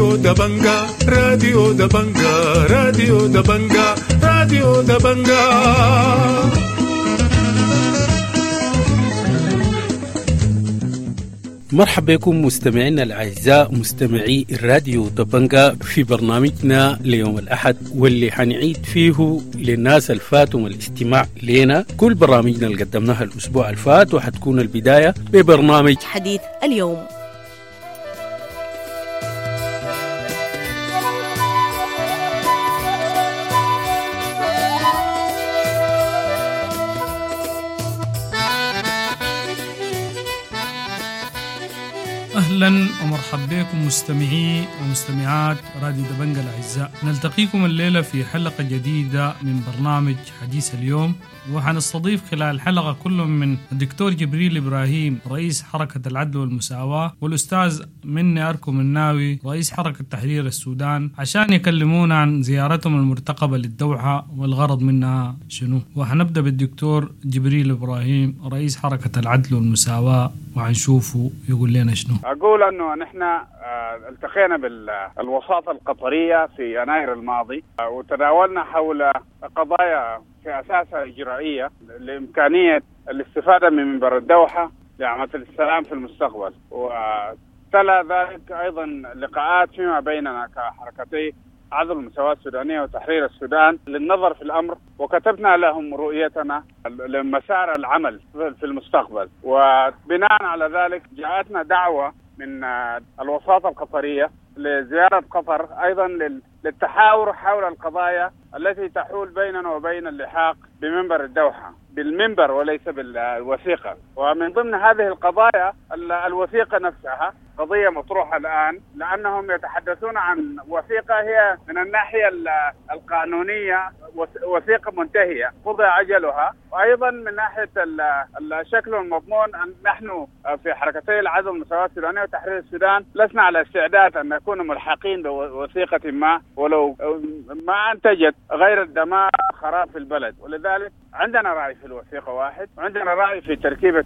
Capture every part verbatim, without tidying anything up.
راديو دبنجا راديو دبنجا راديو دبنجا راديو دبنجا. مرحبا بكم مستمعينا الأعزاء مستمعي الراديو دبنجا في برنامجنا ليوم الأحد، واللي حنعيد فيه للناس الفاتهم الاستماع لنا كل برامجنا اللي قدمناها الأسبوع الفات، وحتكون البداية ببرنامج حديث اليوم. أهلا ومرحبا بكم مستمعي ومستمعات راديو دبنجا الأعزاء، نلتقيكم الليلة في حلقة جديدة من برنامج حديث اليوم، وحنستضيف خلال الحلقة كل من الدكتور جبريل إبراهيم رئيس حركة العدل والمساواة، والأستاذ مني أركو مناوي رئيس حركة تحرير السودان، عشان يكلمونا عن زيارتهم المرتقبة للدوحة والغرض منها شنو. وحنبدأ بالدكتور جبريل إبراهيم رئيس حركة العدل والمساواة وحنشوفه يقول لنا شنو. أقول أنه نحن التقينا بالوساطة القطرية في يناير الماضي وتداولنا حول قضايا في أساسها إجرائية لإمكانية الاستفادة من منبر الدوحة لعملية السلام في المستقبل، وتلا ذلك أيضا لقاءات فيما بيننا كحركتي عدل المساواة السودانية وتحرير السودان للنظر في الأمر، وكتبنا لهم رؤيتنا لمسار العمل في المستقبل. وبناء على ذلك جاءتنا دعوة من الوساطة القطرية لزيارة قطر أيضا للتحاور حول القضايا التي تحول بيننا وبين اللحاق بمنبر الدوحة، بالمنبر وليس بالوثيقة. ومن ضمن هذه القضايا الوثيقة نفسها قضية مطروحة الآن، لأنهم يتحدثون عن وثيقة هي من الناحية القانونية وثيقة منتهية قضى أجلها، وأيضا من ناحية الشكل والمضمون نحن في حركتي العدل والمساواة السودانية وتحرير السودان لسنا على استعداد أن نكون ملحقين بوثيقة ما ولو ما أنتجت غير الدمار خراب في البلد. ولذلك عندنا رأي في الوثيقة واحد، وعندنا رأي في تركيبة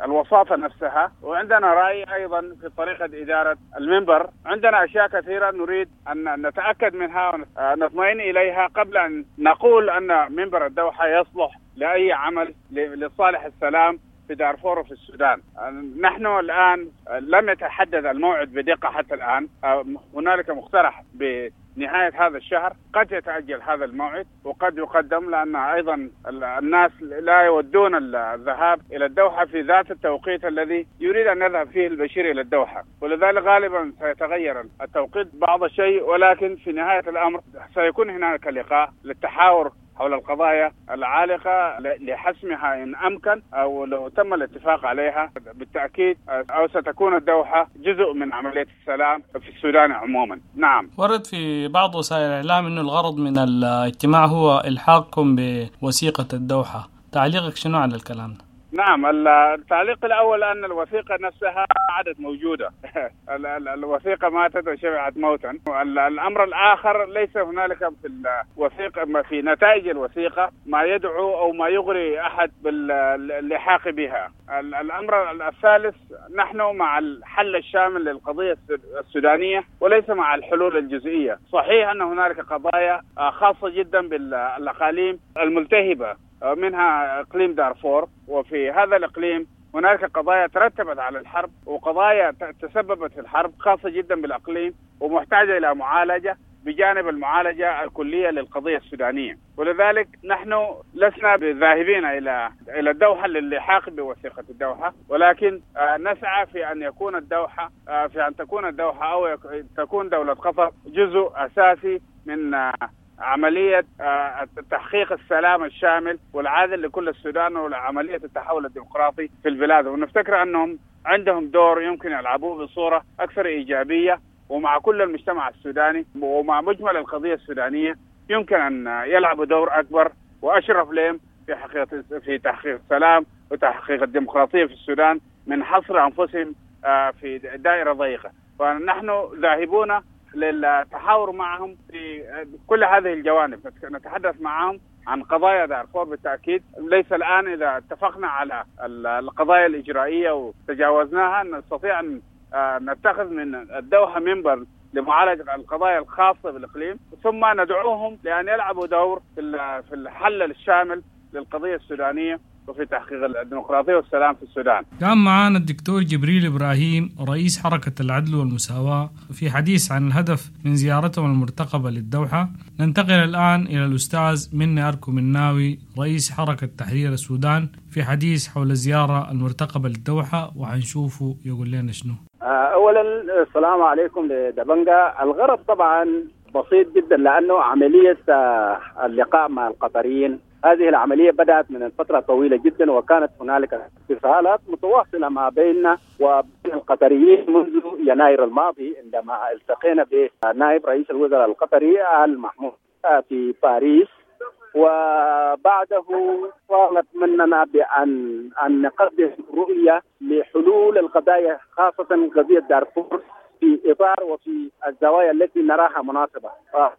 الوساطة نفسها، وعندنا رأي أيضا في طريقة إدارة المنبر. عندنا أشياء كثيرة نريد أن نتأكد منها ونطمئن إليها قبل أن نقول أن منبر الدوحة يصلح لأي عمل لصالح السلام في دارفور وفي السودان. نحن الآن لم يتحدد الموعد بدقة حتى الآن، هنالك مقترح بنهاية هذا الشهر، قد يتأجل هذا الموعد وقد يقدم، لأن أيضا الناس لا يودون الذهاب إلى الدوحة في ذات التوقيت الذي يريد أن يذهب فيه البشير إلى الدوحة، ولذلك غالبا سيتغير التوقيت بعض الشيء، ولكن في نهاية الأمر سيكون هناك لقاء للتحاور حول القضايا العالقة لحسمها إن أمكن أو لو تم الاتفاق عليها بالتأكيد، أو ستكون الدوحة جزء من عملية السلام في السودان عموما. نعم، ورد في بعض وسائل الإعلام أن الغرض من الاجتماع هو إلحاقكم بوثيقة الدوحة، تعليقك شنو على الكلام ده؟ نعم، التعليق الأول أن الوثيقة نفسها عادت موجودة الوثيقة ماتت وشبعت موتا. الأمر الآخر ليس هنالك في الوثيقة في نتائج الوثيقة ما يدعو أو ما يغري أحد باللحاق بها. الأمر الثالث، نحن مع الحل الشامل للقضية السودانية وليس مع الحلول الجزئية. صحيح أن هنالك قضايا خاصة جدا بالأقاليم الملتهبة منها إقليم دارفور، وفي هذا الإقليم هناك قضايا ترتبت على الحرب وقضايا تسببت في الحرب خاصة جدا بالإقليم ومحتاجة إلى معالجة بجانب المعالجة الكلية للقضية السودانية. ولذلك نحن لسنا ذاهبين إلى إلى الدوحة للحاق بوثيقة الدوحة، ولكن نسعى في أن يكون الدوحة في أن تكون الدوحة أو تكون دولة قطر جزء أساسي من عملية تحقيق السلام الشامل والعادل لكل السودان وعملية التحول الديمقراطي في البلاد. ونفتكر أنهم عندهم دور يمكن يلعبوه بصورة أكثر إيجابية ومع كل المجتمع السوداني ومع مجمل القضية السودانية يمكن أن يلعبوا دور أكبر وأشرف لهم في حقيقة في تحقيق السلام وتحقيق الديمقراطية في السودان من حصر أنفسهم في دائرة ضيقة. فنحن ذاهبون للتحاور معهم في كل هذه الجوانب، نتحدث معهم عن قضايا دارفور بالتأكيد. ليس الآن إذا اتفقنا على القضايا الإجرائية وتجاوزناها نستطيع أن نتخذ من الدوحة منبر لمعالجة القضايا الخاصة بالإقليم، ثم ندعوهم لأن يلعبوا دور في الحل الشامل للقضية السودانية وفي تحقيق الديمقراطية والسلام في السودان. كان معنا الدكتور جبريل إبراهيم رئيس حركة العدل والمساواة في حديث عن الهدف من زيارتهم المرتقبة للدوحة. ننتقل الآن إلى الأستاذ مني أركو مناوي رئيس حركة تحرير السودان في حديث حول الزيارة المرتقبة للدوحة، وحنشوفه يقول لنا شنو. أولا السلام عليكم لدبنجا. الغرض طبعا بسيط جدا، لأنه عملية اللقاء مع القطريين هذه العملية بدأت من فترة طويلة جدا، وكانت هنالك اتصالات متواصلة ما بيننا وبين القطريين منذ يناير الماضي عندما التقينا بنائب رئيس الوزراء القطري آل محمود في باريس، وبعده طالب مننا بأن أن نقدم رؤية لحلول القضايا، خاصة قضية دارفور، في إطار وفي الزوايا التي نراها مناسبة.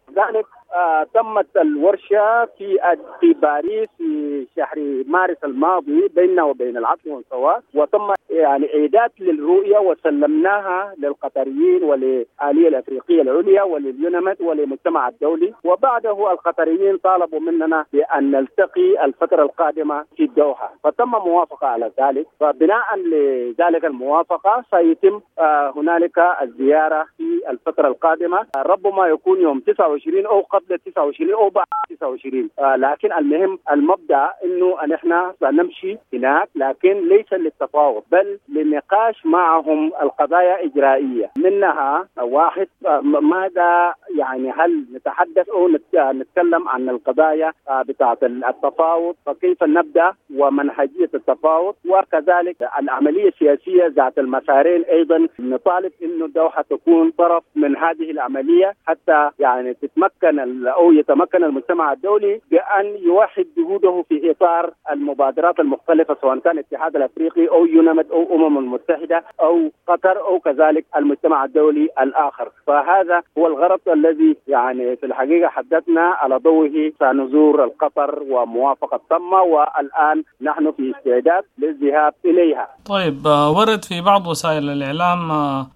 ذلك آه تمت الورشة في في باريس في شهر مارس الماضي بيننا وبين العدل والمساواة، وتم يعني إعداد للرؤية وسلمناها للقطريين وللآلية الأفريقية العليا ولليوناميد وللمجتمع الدولي. وبعده القطريين طالبوا مننا بأن نلتقي الفترة القادمة في الدوحة، فتم موافقة على ذلك. فبناء لذلك الموافقة سيتم آه هنالك الزيارة في الفترة القادمة، ربما يكون يوم تسعة وعشرين أو قبل تسعة وعشرين أو بعد تسعة وعشرين، آه لكن المهم المبدأ إنه نحن سنمشي هناك، لكن ليس للتفاوض بل للنقاش معهم القضايا إجرائية، منها واحد آه ماذا يعني هل نتحدث أو نتكلم عن القضايا آه بتاعة التفاوض، فكيف نبدأ ومنهجية التفاوض، وكذلك العملية السياسية ذات المسارين. أيضا نطالب إنه الدوحة تكون طرف من هذه العملية حتى يعني تتمكن أو يتمكن المجتمع الدولي بأن يوحد جهوده في إطار المبادرات المختلفة، سواء كان الاتحاد الأفريقي أو يوناميد أو أمم المتحدة أو قطر أو كذلك المجتمع الدولي الآخر. فهذا هو الغرض الذي يعني في الحقيقة حددنا على ضوءه سنزور القطر وموافقة تم، والآن نحن في استعداد للذهاب إليها. طيب، ورد في بعض وسائل الإعلام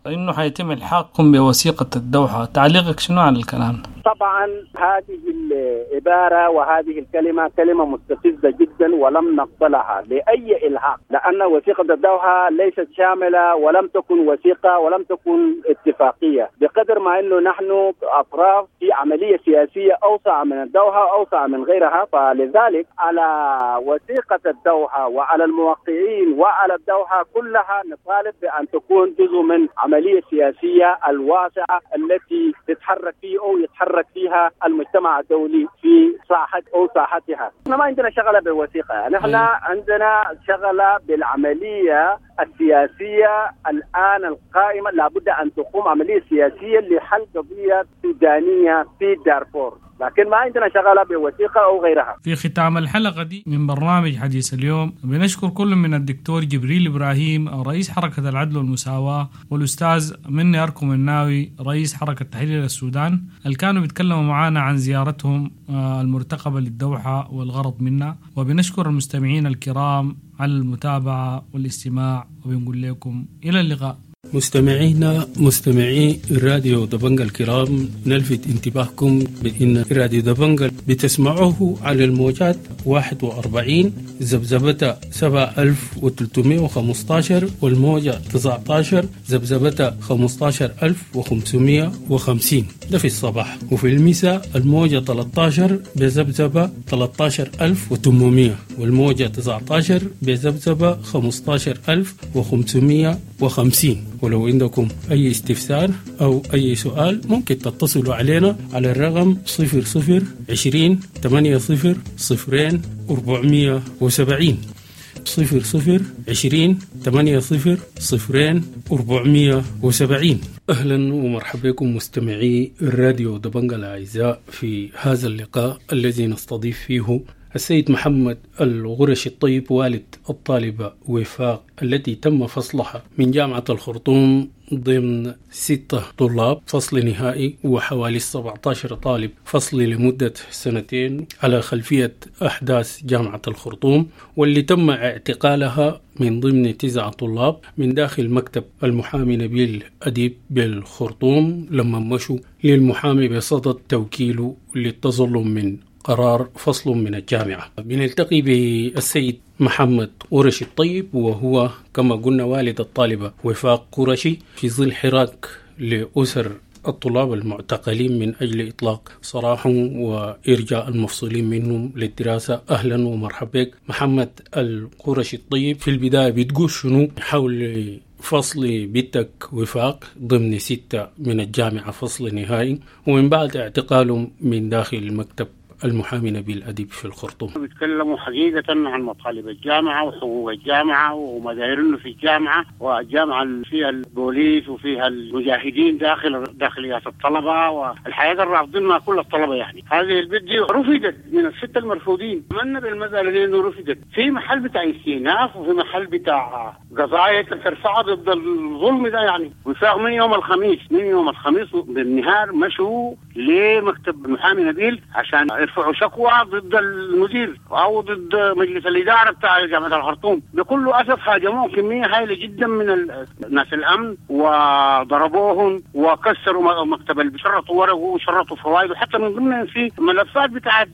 إنه حيتم إلحاقكم بوثيقة الدوحة، تعليقك شنو على الكلام؟ طبعا هذه العبارة وهذه الكلمة كلمة مستفزة جدا ولم نقبلها لأي إلحاق، لأن وثيقة الدوحة ليست شاملة ولم تكن وثيقة ولم تكن اتفاقية، بقدر ما أنه نحن أطراف في عملية سياسية أوسع من الدوحة أوسع من غيرها. فلذلك على وثيقة الدوحة وعلى الموقعين وعلى الدوحة كلها نطالب بأن تكون جزء من عملية سياسية الواسعة التي تتحرك فيه أو يتحرك فيها المجتمع الدولي في ساحة أو ساحتها. نحن ما عندنا شغلة بالوثيقة، نحن عندنا شغلة بالعملية السياسية الآن القائمة. لابد أن تقوم عملية سياسية لحل قضية سودانية في دارفور، لكن ما عندنا شغلة بوثيقة أو غيرها. في ختام الحلقة دي من برنامج حديث اليوم بنشكر كل من الدكتور جبريل إبراهيم رئيس حركة العدل والمساواة، والأستاذ مني أركو مناوي رئيس حركة تحرير السودان، اللي كانوا بيتكلموا معنا عن زيارتهم المرتقبة للدوحة والغرض منها. وبنشكر المستمعين الكرام على المتابعة والاستماع، وبنقول لكم إلى اللقاء. مستمعينا مستمعي راديو دبنجا الكرام، نلفت انتباهكم بأن راديو دبنجا بتسمعوه على الموجات واحد وأربعين ذبذبة سبعة ألف وثلاثمائة وخمسة عشر والموجة تسعة عشر ذبذبة خمسة عشر ألف وخمسمائة وخمسين، ده في الصباح، وفي المساء الموجة ثلاثة عشر بذبذبة ثلاثة عشر ألف وثمانمائة والموجة تسعة عشر بذبذبة خمسة عشر ألف وخمسمائة وخمسين. ولو عندكم أي استفسار أو أي سؤال ممكن تتصلوا علينا على الرقم صفر صفر عشرين ثمانية صفر صفرين أربعمية وسبعين، صفر صفر عشرين ثمانية صفر صفرين أربعمية وسبعين. أهلا ومرحبا بكم مستمعي الراديو دبنجا الأعزاء في هذا اللقاء الذي نستضيف فيه السيد محمد الغرشي الطيب والد الطالبة وفاق التي تم فصلها من جامعة الخرطوم ضمن ستة طلاب فصل نهائي وحوالي سبعة عشر طالب فصل لمدة سنتين على خلفية أحداث جامعة الخرطوم، واللي تم اعتقالها من ضمن تسعة طلاب من داخل مكتب المحامي نبيل أديب بالخرطوم لما مشوا للمحامي بصدد توكيله للتظلم من قرار فصل من الجامعة. بنلتقي بالسيد محمد قرشي الطيب، وهو كما قلنا والد الطالبة وفاق قرشي، في ظل حراك لأسر الطلاب المعتقلين من أجل إطلاق سراحهم وإرجاء المفصولين منهم للدراسة. أهلا ومرحبا بك محمد القرشي الطيب. في البداية بتقول شنو حول فصل بنتك وفاق ضمن ستة من الجامعة فصل نهائي، ومن بعد اعتقالهم من داخل مكتب المحامي نبيل أديب في الخرطوم؟ بيتكلموا حقيقة عن مطالب الجامعة وحقوق الجامعة وما دايرينه في الجامعة، والجامعة فيها البوليس وفيها المجاهدين داخل داخليات الطلبة والحياة الرافضينها كل الطلبة. يعني هذه البنت دي رفضت من الستة المرفوضين، أتمنى بالمسألة دي إنه رفضت في محل بتاع استئناف وفي محل بتاع قضايا ترفع ضد الظلم ده. يعني وفاق من يوم الخميس من يوم الخميس بالنهار مشوا لمكتب المحامي نبيل عشان يرفعوا شكوى ضد المدير او ضد مجلس الادارة بتاع جامعه الخرطوم. بكل اسف هاجموه كمية هائلة جدا من ناس الامن وضربوهم وكسروا مكتب، شرطوا ورقة وشرطوا فوائد، وحتى من ضمنهم في ملفات بتاعت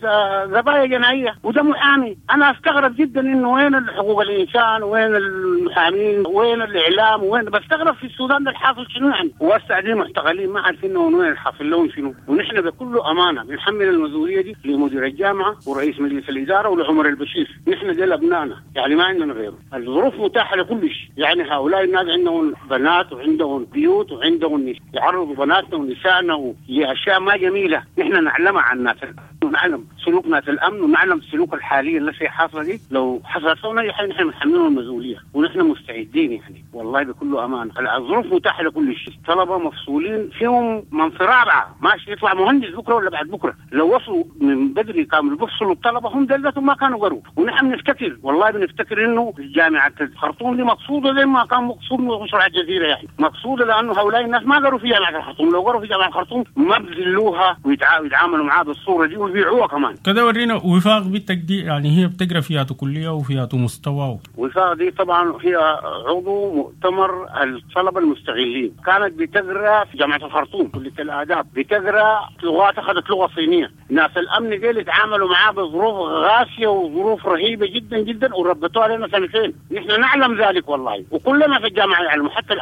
قضايا جنائية، وده محامي. انا استغرب جدا انه وين حقوق الانسان، وين المحامين، وين الاعلام، وين بستغرب في السودان ده الحاصل شنو يعني. وهسه معتقلين ما عارفين وين الحاصل لهم شنو. ونحن بكل امانه بنحمل المسؤولية دي لمدير الجامعة ورئيس مجلس الادارة ولعمر البشير. نحن ديل ابنائنا، يعني ما عندنا غيره. الظروف متاحة لكل شيء، يعني هؤلاء الناس عندهم بنات وعندهم بيوت وعندهم يعرضوا بناتنا ونسائنا لاشياء ما جميلة نحن نعلمها عن الناس، ونعلم سلوك ناس الامن ونعلم السلوك الحالي التي حاصله دي. لو حصلت لنا اي حاجة نحن بنحملهم المسؤولية ونحن مستعدين. يعني والله بكل امانه الظروف متاحة لكل شيء. طلبه مفصولين فيهم من في رابعه ماشي يطلع مهندس بكره ولا بعد بكره، لو وصلوا من بدري كانوا بيفصلوا الطلبة هم دلتهم ما كانوا قروا. ونحن بنفتكر والله بنفتكر انه جامعه الخرطوم دي مقصوده زي ما كان مقصود مشروع الجزيرة، يعني مقصوده لانه هؤلاء الناس ما قروا في جامعه الخرطوم. لو قروا في جامعه الخرطوم ما بذلوها ويتعاملوا معاها بالصورة دي ويبيعوها كمان. كده ورينا وفاق بنتك دي، يعني هي بتقرا فيها كليه وفيها مستوى. وفاق دي طبعا هي عضو مؤتمر الطلبة المستغلين، كانت بتقرا في جامعه الخرطوم كليه الاداب، بتقرا لغات، اخذت لغة صينية. ناس الامن ديل اتعاملوا معاه بظروف غاسيه وظروف رهيبة جدا جدا وربطوها لنا سنتين. نحن نعلم ذلك والله، وكلنا في الجامعة يعلموا، حتى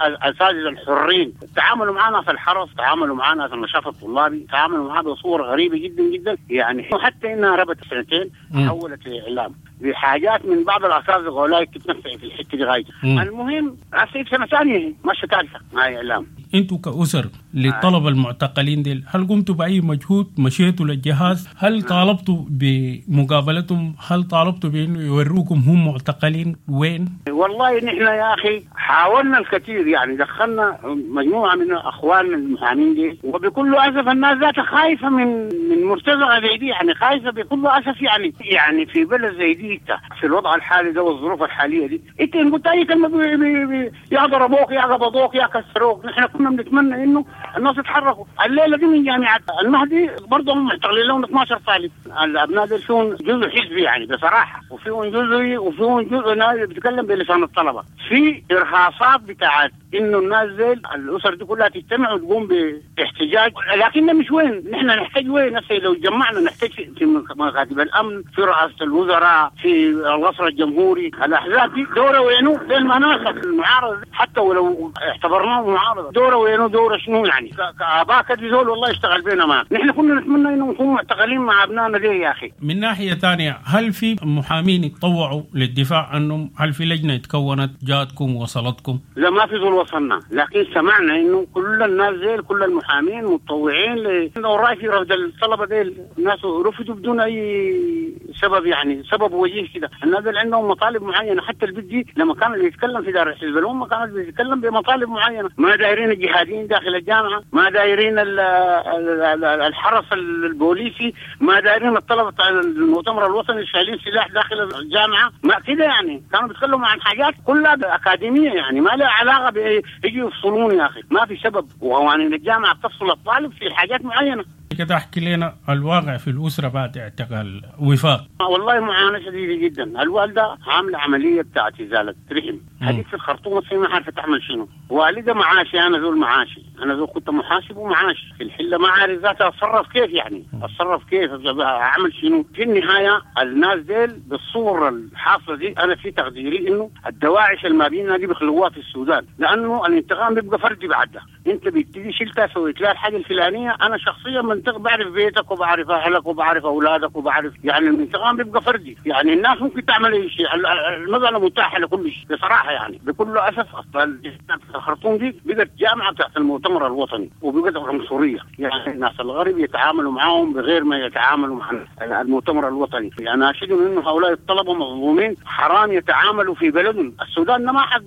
الاساتذة الحرين تعاملوا معنا في الحرس، تعاملوا معنا في النشاط الطلابي، تعاملوا معنا بصور غريبة جدا جدا. يعني حتى انها ربطت سنتين حولت لاعلام بحاجات من بعض الاساتذة غولاي تتنفع في الحتة دي غايته. المهم هسه سنة ثانية ماشية ثالثة مع اعلام. انتوا كأسر للطلبة المعتقلين ديل، هل قمتوا بأي مجهود؟ مشيتوا للجهاز؟ هل طالبتوا بمقابلتهم؟ هل طالبتوا بأنه يوروكم هم معتقلين وين؟ والله نحن يا أخي حاولنا الكثير، يعني دخلنا مجموعة من أخواننا المحامين دي، وبكل أسف الناس ذاتها خايفة من من مرتزقة زي دي، يعني خايفة بكل أسف. يعني يعني في بلد زي دي في الوضع الحالي ده والظروف الحالية دي، انت إن قلت أي كلمة بي بي بي يا ضربوك يا قبضوك يا كسروك. نحن كنا بنتمنى انه الناس يتحركوا. الليلة دي من جامعه المهدي برضه هم معتقلين لهم اثنا عشر طالب. الابناء دول فيهم جزء حزبي يعني بصراحة، وفيهم جزء وفيهم جزء ناس بيتكلم بلسان الطلبة. في ارهاصات بتاعت انه الناس زي الاسر دي كلها تجتمع وتقوم باحتجاج، لكن مش وين نحن نحتاج وين نفسي لو جمعنا نحتاج في مكاتب الامن، في رئاسة الوزراء، في القصر الجمهوري. الاحزاب دي دوره وينو زي المناخ المعارضة، حتى ولو اعتبرناه معارضة دوره وينو دوره شنو يعني كاباء كده زول والله اشتغل بينا ما نحن كنا نتمنى انه نكون معتقلين مع ابنائنا دي يا اخي. من ناحية ثانية، هل في محامين يتطوعوا للدفاع عنهم؟ هل في لجنة تكونت جاتكم وصلتكم؟ لا ما في زول وصلنا، لكن سمعنا انه كل الناس ديل كل المحامين متطوعين لانه راي في رفض الطلبة ديل، الناس رفضوا بدون اي سبب، يعني سبب وجيه كده. الناس ديل عندهم مطالب معينة، حتى البت دي لما كان بيتكلم في دار حزب الامة كانت بيتكلم بمطالب معينة، ما دايرين الجهاديين داخل الجامعة، ما دايرين الحرس البوليسي، ما دايرين الطلبة المؤتمر الوطني شايلين سلاح داخل الجامعة، ما كده يعني. كانوا بيتكلموا عن حاجات كلها اكاديمية يعني ما لها علاقة بيجي يفصلون يا اخي، ما في سبب. وقوانين الجامعة بتفصل الطالب في حاجات معينة. كده احكي لنا الواقع في الاسرة بعد اعتقال وفاق. والله معاناة شديدة جدا. الوالدة عامله عملية بتاعت ازالة رحم هذيك في الخرطوم، ما عارفه تعمل شنو. والده معاشي، انا زول معاشي، انا زول كنت محاسب ومعاش في الحلة، ما عارف ذاتها اتصرف كيف، يعني اتصرف كيف، اعمل شنو. في النهاية الناس ديل بالصورة الحاصلة دي انا في تقديري انه الدواعش المابينها دي بيخلوها في السودان، لانه الانتقام بيبقى فردي بعدها. انت بتيجي شلتها سويت لها الحاجة الفلانية، انا شخصيا منطق بعرف بيتك وبعرف اهلك وبعرف اولادك وبعرف، يعني الانتقام بيبقى فردي. يعني الناس ممكن تعمل اي شيء، المسالة متاحة لكل شيء بصراحة. يعني بكل اسف الخرطوم دي بقت جامعه بتاعت المؤتمر الوطني وبقت عنصرية، يعني الناس الغرب يتعاملوا معاهم بغير ما يتعاملوا مع المؤتمر الوطني. يعني اشهد انه هؤلاء الطلبة مظلومين، حرام يتعاملوا في بلدهم. السودان ما حق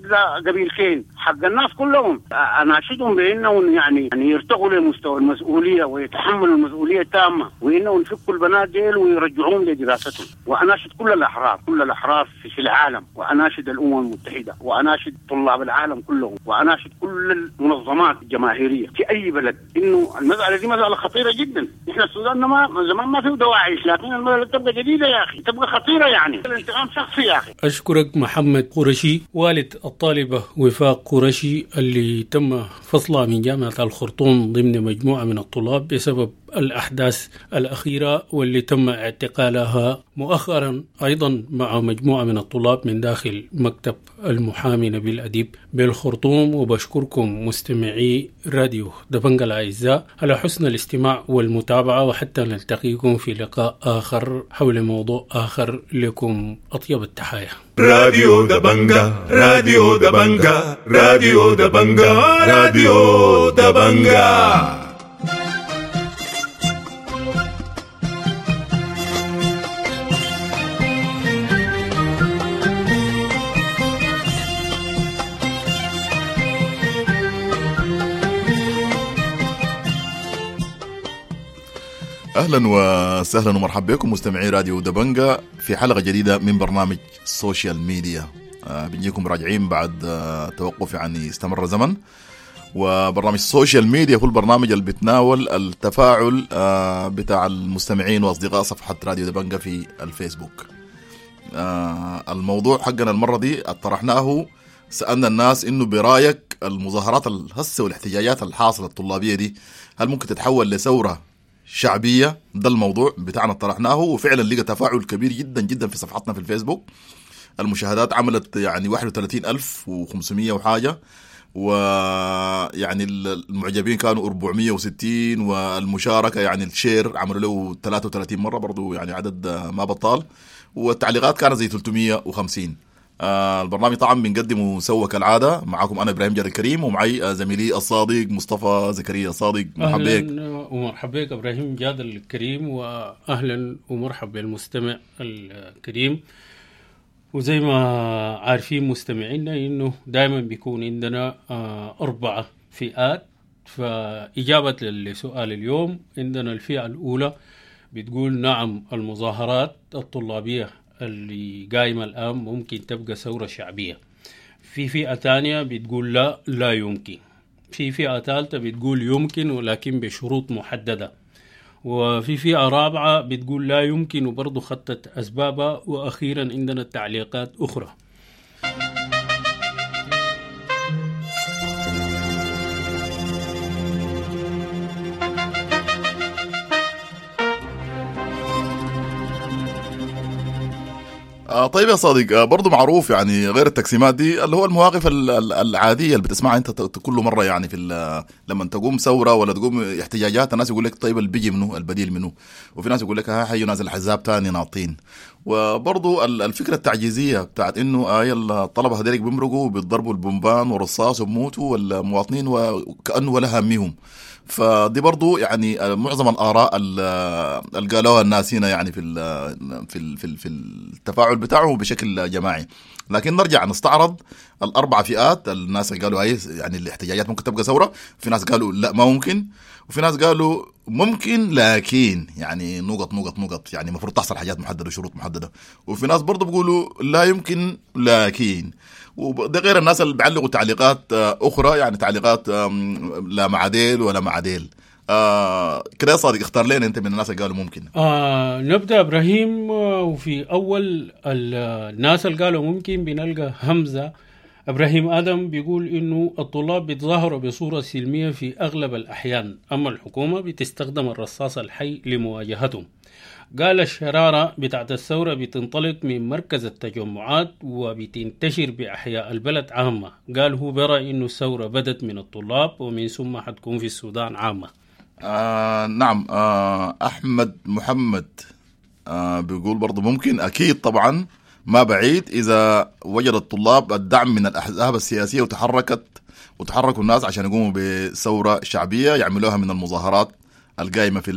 قبيلتين، حق الناس كلهم. انا اشهدهم بانهم يعني يعني يرتقوا لمستوى المسؤولية ويتحملوا المسؤولية التامة، وانهم يفكوا البنات ديل ويرجعوهم لدراستهم. واناشد كل الاحرار، كل الاحرار في العالم، واناشد الامم المتحدة، واناشد طلاب العالم كلهم، واناشد كل المنظمات الجماهيرية في اي بلد، انه المسالة دي مسالة خطيرة جدا. احنا السودان ما زمان ما فيه دواعش، لكن المسالة تبقى جديدة يا اخي، تبقى خطيرة، يعني الانتقام شخصي يا اخي. اشكرك محمد قرشي، والد الطالبة وفاق قرشي اللي تم فصلها من جامعه الخرطوم ضمن مجموعة من الطلاب بسبب الأحداث الأخيرة، واللي تم اعتقالها مؤخرا أيضا مع مجموعة من الطلاب من داخل مكتب المحامي نبيل أديب بالخرطوم. وبشكركم مستمعي راديو دبنجا الأعزاء على حسن الاستماع والمتابعة، وحتى نلتقيكم في لقاء آخر حول موضوع آخر. لكم أطيب التحايا. راديو دبنجا، راديو دبنجا، راديو دبنجا، راديو دبنجا. اهلا وسهلا ومرحبا بكم مستمعي راديو دبنجا في حلقة جديدة من برنامج social media. آه بنجيكم راجعين بعد آه توقف يعني استمر زمن. وبرنامج ال social media هو البرنامج اللي بيتناول التفاعل آه بتاع المستمعين واصدقاء صفحة راديو دبنجا في الفيسبوك. آه الموضوع حقنا المرة دي طرحناه، سالنا الناس انه برايك المظاهرات الهسه والاحتجاجات الحاصلة الطلابيه دي هل ممكن تتحول لثوره شعبية؟ ده الموضوع بتاعنا طرحناه، وفعلا لقى تفاعل كبير جدا جدا في صفحتنا في الفيسبوك. المشاهدات عملت يعني واحد وثلاثين ألف وخمسمية وحاجة، ويعني المعجبين كانوا أربعمية وستين، والمشاركة يعني ال share عملوا له ثلاثة وثلاثين مرة، برضو يعني عدد ما بطال، والتعليقات كانت زي ثلاثمية وخمسين. آه البرنامج طبعا بنقدمه سوا كالعادة، معاكم أنا إبراهيم جاد الكريم، ومعي زميلي الصادق مصطفى زكريا. صادق مرحبا بك. ومرحبا بك إبراهيم جاد الكريم، وأهلا ومرحبا بالمستمع الكريم. وزي ما عارفين مستمعينا إنه دائما بيكون عندنا آه أربعة فئات. فإجابة لسؤال اليوم، عندنا الفئة الأولى بتقول نعم المظاهرات الطلابية اللي قايمة الآن ممكن تبقى ثورة شعبية. في فئة تانية بتقول لا لا يمكن. في فئة ثالثة بتقول يمكن ولكن بشروط محددة. وفي فئة رابعة بتقول لا يمكن وبرضو خطت أسبابها. وأخيرا عندنا التعليقات أخرى. آه طيب يا صديق، آه برضو معروف يعني غير التقسيمات دي اللي هو المواقف العادية اللي بتسمعها انت كل مرة، يعني في لما تقوم ثورة ولا تقوم احتجاجات الناس يقول لك طيب اللي بيجي منه البديل منه، وفي ناس يقول لك ها حيوا ناس الحزاب تاني ناطين، وبرضو الفكرة التعجيزيه بتاعت انه آي الطلبة هذيك بيمرقوا وبيضربوا البومبان والرصاص وبموتوا والمواطنين وكانه ولا هاميهم. فدي برضو يعني معظم الاراء اللي قالوها الناس هنا يعني في ال في ال في, ال في التفاعل بتاعه بشكل جماعي. لكن نرجع نستعرض الاربع فئات، الناس اللي قالوا اي يعني الاحتجاجات ممكن تبقى ثورة، في ناس قالوا لا ما ممكن، وفي ناس قالوا ممكن لكن يعني نقط نقط نقط، يعني المفروض تحصل حاجات محددة وشروط محددة، وفي ناس برضو بيقولوا لا يمكن لكن. وده غير الناس اللي بيعلقوا تعليقات اخرى، يعني تعليقات لا مع ديل ولا مع ديل. آه كده يا صادق اختار لنا انت من الناس اللي قالوا ممكن. آه نبدا ابراهيم، وفي اول الناس اللي قالوا ممكن بنلقى همزه ابراهيم ادم بيقول انه الطلاب بيتظاهروا بصورة سلمية في اغلب الاحيان، اما الحكومة بتستخدم الرصاص الحي لمواجهتهم. قال الشرارة بتاعت الثورة بتنطلق من مركز التجمعات وبتنتشر بأحياء البلد عامة. قال هو برأي إنه الثورة بدت من الطلاب ومن ثم حتكون في السودان عامة. آه نعم. آه أحمد محمد آه بيقول برضو ممكن، أكيد طبعا ما بعيد إذا وجد الطلاب الدعم من الأحزاب السياسية وتحركت وتحركوا الناس عشان يقوموا بثورة شعبية يعملوها من المظاهرات القايمة في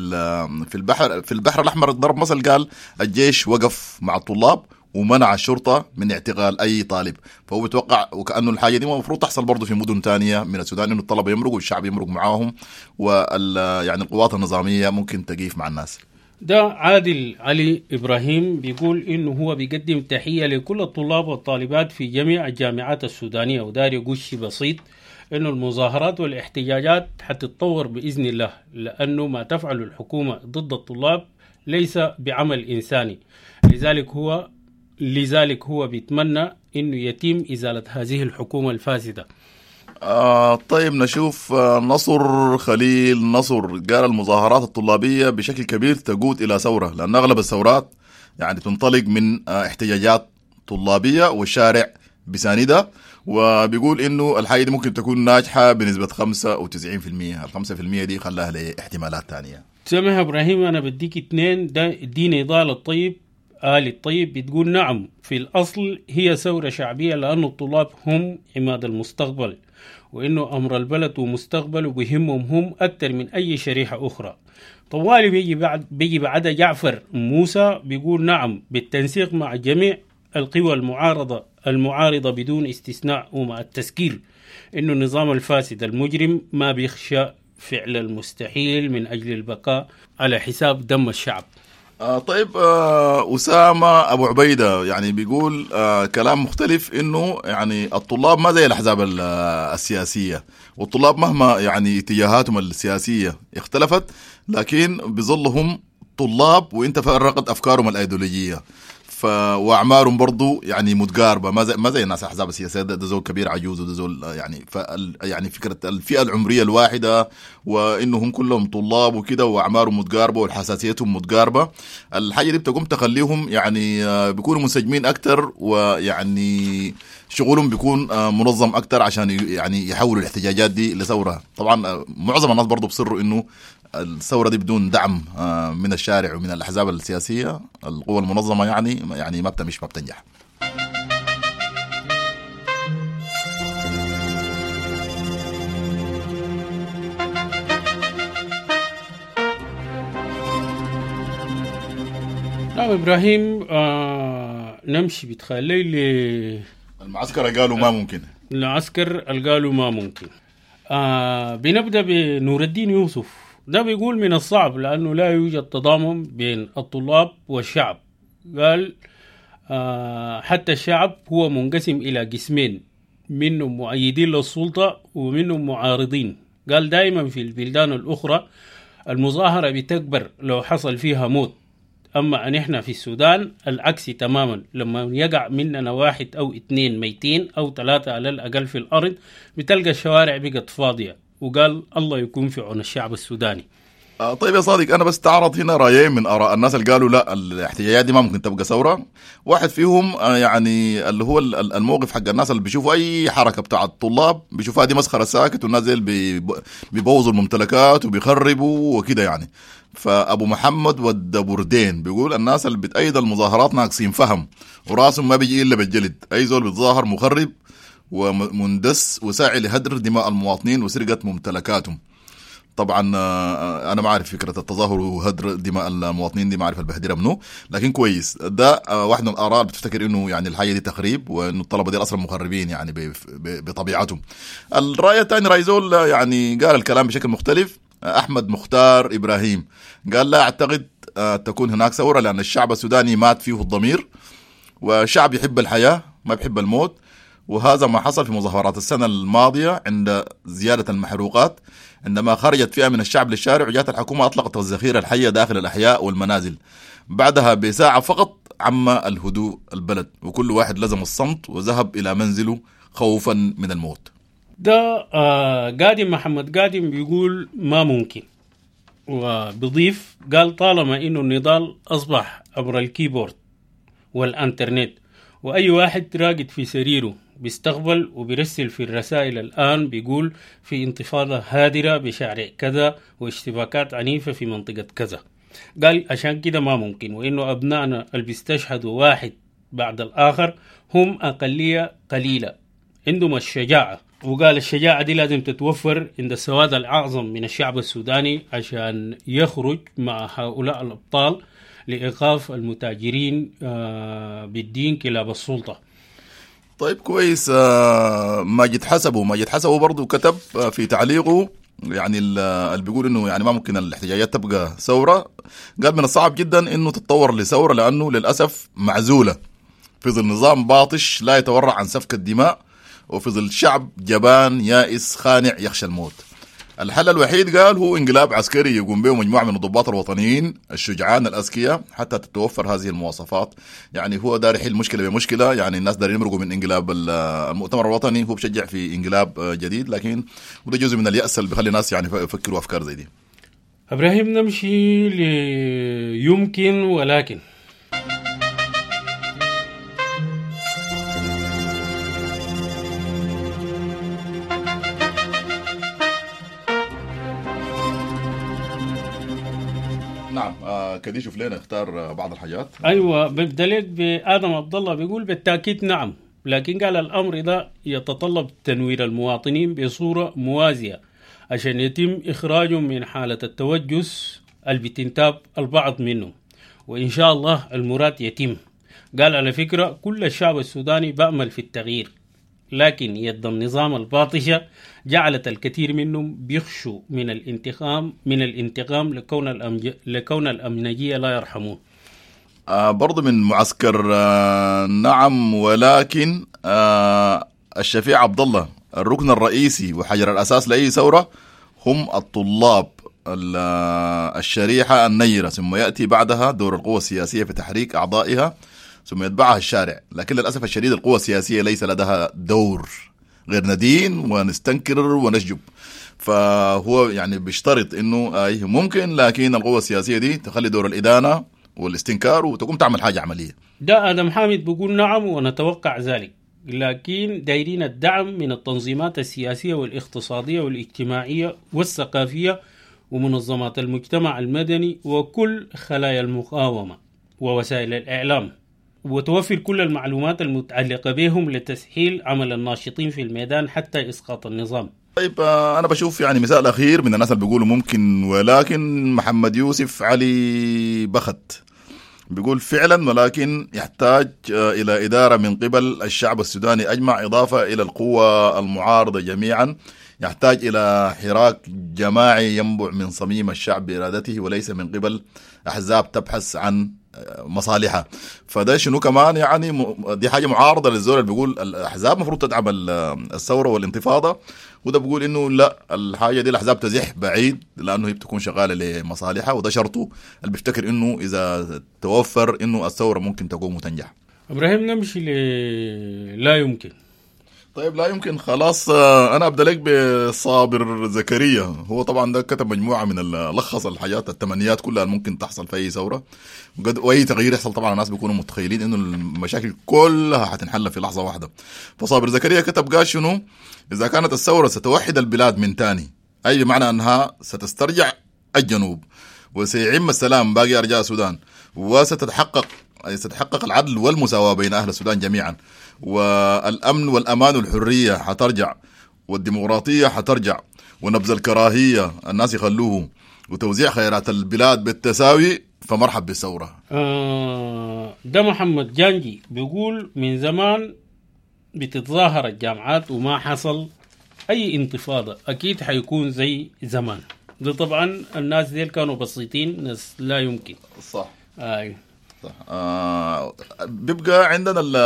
في البحر في البحر الأحمر. ضرب مثل، قال الجيش وقف مع الطلاب ومنع الشرطة من اعتقال أي طالب، فهو بيتوقع وكأنه الحاجة دي المفروض تحصل برضه في مدن تانية من السودان، إنه الطلبة يمرقوا والشعب يمرق معاهم، وال يعني القوات النظامية ممكن تقيف مع الناس. ده عادل علي إبراهيم بيقول إنه هو بيقدم تحية لكل الطلاب والطالبات في جميع الجامعات السودانية، ودار يقول شيء بسيط إنه المظاهرات والاحتجاجات حتتطور بإذن الله، لأنه ما تفعله الحكومة ضد الطلاب ليس بعمل إنساني، لذلك هو لذلك هو بيتمنى إنه يتم إزالة هذه الحكومة الفاسدة. آه طيب نشوف نصر خليل نصر قال المظاهرات الطلابية بشكل كبير تقود إلى ثورة، لأن أغلب الثورات يعني تنطلق من احتجاجات طلابية والشارع بساندة، وبيقول إنه الحاجة دي ممكن تكون ناجحة بنسبة خمسة وتسعين بالمية، الخمسة بالمية دي خلاها لاحتمالات تانية. سامح إبراهيم أنا بديك اثنين، ده دي نضال الطيب آل الطيب بتقول نعم في الأصل هي ثورة شعبية لأن الطلاب هم عماد المستقبل، وإنه أمر البلد ومستقبله بيهمهم هم أكثر من أي شريحة أخرى. طوالي بيجي بعد بيجي بعد جعفر موسى بيقول نعم بالتنسيق مع جميع القوى المعارضة المعارضة بدون استثناء، ومع التذكير إنه النظام الفاسد المجرم ما بيخشى فعل المستحيل من أجل البقاء على حساب دم الشعب. آه طيب آه أسامة أبو عبيدة يعني بيقول آه كلام مختلف، إنه يعني الطلاب ما زي الأحزاب السياسية، والطلاب مهما يعني اتجاهاتهم السياسية اختلفت لكن بيظلهم طلاب، وانت فرقت أفكارهم الأيديولوجية ف واعمارهم برضو يعني متقاربة، ما زي ما زي الناس الاحزاب السياسية، ده, ده زول كبير عجوز وده زول يعني ف يعني فكرة الفئة العمرية الواحدة وانهم كلهم طلاب وكده واعمارهم متقاربة وحساسيتهم متقاربة، الحاجة دي بتقوم تخليهم يعني بيكونوا منسجمين اكثر، ويعني شغلهم بيكون منظم اكثر عشان يعني يحولوا الاحتجاجات دي لثوره. طبعا معظم الناس برضو بصروا انه الثورة دي بدون دعم من الشارع ومن الأحزاب السياسية القوى المنظمة يعني يعني ما بتمشي ما بتنجح. نعم إبراهيم، آه نمشي بتخلي ل المعسكر قالوا ما ممكن، العسكر قالوا ما ممكن. آه بنبدأ بنور الدين يوسف، ده بيقول من الصعب لأنه لا يوجد تضامن بين الطلاب والشعب. قال آه حتى الشعب هو منقسم إلى قسمين، منهم مؤيدين للسلطة ومنهم معارضين. قال دائما في البلدان الأخرى المظاهرة بتكبر لو حصل فيها موت، أما نحن في السودان العكس تماما، لما يقع مننا واحد أو اثنين ميتين أو ثلاثة على الأقل في الأرض بتلقى الشوارع بقت فاضية. وقال الله يكون في عون الشعب السوداني. آه طيب يا صادق، انا بس تعرض هنا رايين من اراء الناس اللي قالوا لا الاحتجاجات دي ما ممكن تبقى ثورة. واحد فيهم آه يعني اللي هو الموقف حق الناس اللي بيشوفوا اي حركة بتاع الطلاب بيشوفوها دي مسخرة ساكت، والناس زي بيبوظوا الممتلكات وبيخربوا وكده يعني. فابو محمد والدبردين بيقول الناس اللي بتأيد المظاهرات ناقصين فهم وراسهم ما بيجي الا بالجلد، اي زول بيتظاهر مخرب ومندس وساعي لهدر دماء المواطنين وسرقة ممتلكاتهم. طبعا انا ما اعرف فكرة التظاهر وهدر دماء المواطنين دي، ما اعرف البهدره منه، لكن كويس ده واحد من الاراء اللي بتفتكر انه يعني الحاجة دي تخريب وانه الطلبة دي اصلا مخربين يعني بطبيعتهم. الراي الثاني راي زول يعني قال الكلام بشكل مختلف، احمد مختار ابراهيم قال لا اعتقد تكون هناك ثورة لان الشعب السوداني مات فيه الضمير، وشعب يحب الحياة ما بيحب الموت، وهذا ما حصل في مظاهرات السنة الماضية عند زيادة المحروقات، عندما خرجت فئة من الشعب للشارع وجاءت الحكومة أطلقت الذخيرة الحية داخل الأحياء والمنازل. بعدها بساعة فقط عم الهدوء البلد، وكل واحد لزم الصمت وذهب إلى منزله خوفا من الموت. ده آه قادم محمد قادم بيقول ما ممكن، وبضيف قال طالما إنه النضال أصبح عبر الكيبورد والإنترنت، وأي واحد راقد في سريره بيستقبل وبيرسل في الرسائل الآن، بيقول في انتفاضة هادرة بشارع كذا واشتباكات عنيفة في منطقة كذا. قال عشان كده ما ممكن، وإنه أبنائنا اللي بيستشهدوا واحد بعد الآخر هم أقلية قليلة عندهم الشجاعة، وقال الشجاعة دي لازم تتوفر عند السواد الأعظم من الشعب السوداني عشان يخرج مع هؤلاء الأبطال لإيقاف المتاجرين بالدين كلاب السلطة. طيب كويس. ماجد حسبه ماجد حسبه برضو كتب في تعليقه يعني اللي بيقول انه يعني ما ممكن الاحتجاجات تبقى ثورة، قال من الصعب جدا انه تتطور لثورة لانه للأسف معزولة في ظل نظام باطش لا يتورع عن سفك الدماء، وفي ظل شعب جبان يائس خانع يخشى الموت. الحل الوحيد قال هو انقلاب عسكري يقوم به مجموعة من الضباط الوطنيين الشجعان الأذكياء حتى تتوفر هذه المواصفات. يعني هو دار يحل مشكلة بمشكلة، يعني الناس دارين يمرقوا من انقلاب المؤتمر الوطني، هو بشجع في انقلاب جديد، لكن وده جزء من اليأس اللي بيخلي الناس يعني يفكروا أفكار زي دي. إبراهيم نمشي ليمكن ولكن. نعم آه كدي شوف لنا اختار بعض الحاجات. ايوه ببدا لك بادم عبد الله بيقول بالتاكيد نعم، لكن قال الامر ده يتطلب تنوير المواطنين بصورة موازية عشان يتم اخراجهم من حاله التوجس اللي بتنتاب البعض منهم، وان شاء الله المراد يتم. قال على فكرة كل الشعب السوداني بأمل في التغيير، لكن يد النظام الباطشة جعلت الكثير منهم بيخشوا من الانتقام من الانتقام لكون الأمج... لكون الأمنجية لا يرحمون. آه برضو من معسكر آه نعم ولكن آه الشفيع عبد الله الركن الرئيسي وحجر الأساس لأي ثورة هم الطلاب الشريحة النيرة، ثم يأتي بعدها دور القوى السياسية في تحريك أعضائها، ثم يتبعها الشارع. لكن للأسف الشديد القوى السياسية ليس لديها دور غير ندين ونستنكر ونشجب. فهو يعني بيشترط انه ايه ممكن، لكن القوى السياسية دي تخلي دور الإدانة والاستنكار وتقوم تعمل حاجة عملية. ده آدم حامد بيقول نعم ونتوقع ذلك، لكن دايرين الدعم من التنظيمات السياسية والاقتصادية والاجتماعية والثقافية ومنظمات المجتمع المدني وكل خلايا المقاومة ووسائل الإعلام، وتوفر كل المعلومات المتعلقة بهم لتسهيل عمل الناشطين في الميدان حتى إسقاط النظام. طيب أنا بشوف يعني مثال أخير من الناس اللي بيقولوا ممكن ولكن، محمد يوسف علي بخت بيقول فعلا ولكن يحتاج إلى إدارة من قبل الشعب السوداني أجمع، إضافة إلى القوى المعارضة جميعا، يحتاج إلى حراك جماعي ينبع من صميم الشعب بإرادته وليس من قبل أحزاب تبحث عن مصالحها. فده شنو كمان يعني دي حاجة معارضة للزول اللي بيقول الأحزاب مفروض تدعم الثورة والانتفاضة، وده بيقول إنه لا، الحاجة دي الأحزاب تزح بعيد لأنه هي بتكون شغالة لمصالحها، وده شرطه اللي بيفتكر إنه إذا توفر إنه الثورة ممكن تقوم وتنجح. إبراهيم نمشي ل لا يمكن. طيب لا يمكن خلاص. آه، انا ابدا لك بصابر زكريا. هو طبعا ده كتب مجموعة من ال- لخص الحاجات التمنيات كلها اللي ممكن تحصل في اي ثورة وقد واي تغيير يحصل. طبعا الناس بيكونوا متخيلين انه المشاكل كلها حتنحل في لحظة واحدة. فصابر زكريا كتب قال شنو؟ اذا كانت الثورة ستوحد البلاد من تاني، اي بمعنى انها ستسترجع الجنوب وسيعم السلام باقي ارجاء السودان، وستتحقق أي ستتحقق العدل والمساواة بين أهل السودان جميعا، والأمن والأمان والحرية حترجع، والديمقراطية حترجع، ونبذ الكراهية الناس يخلوه، وتوزيع خيرات البلاد بالتساوي، فمرحب بالثورة. آه، ده محمد جانجي بيقول من زمان بتتظاهر الجامعات وما حصل اي انتفاضة، اكيد حيكون زي زمان. ده طبعا الناس ديل كانوا بسيطين، ناس لا يمكن. صح آه. صح. آه بيبقى عندنا ال-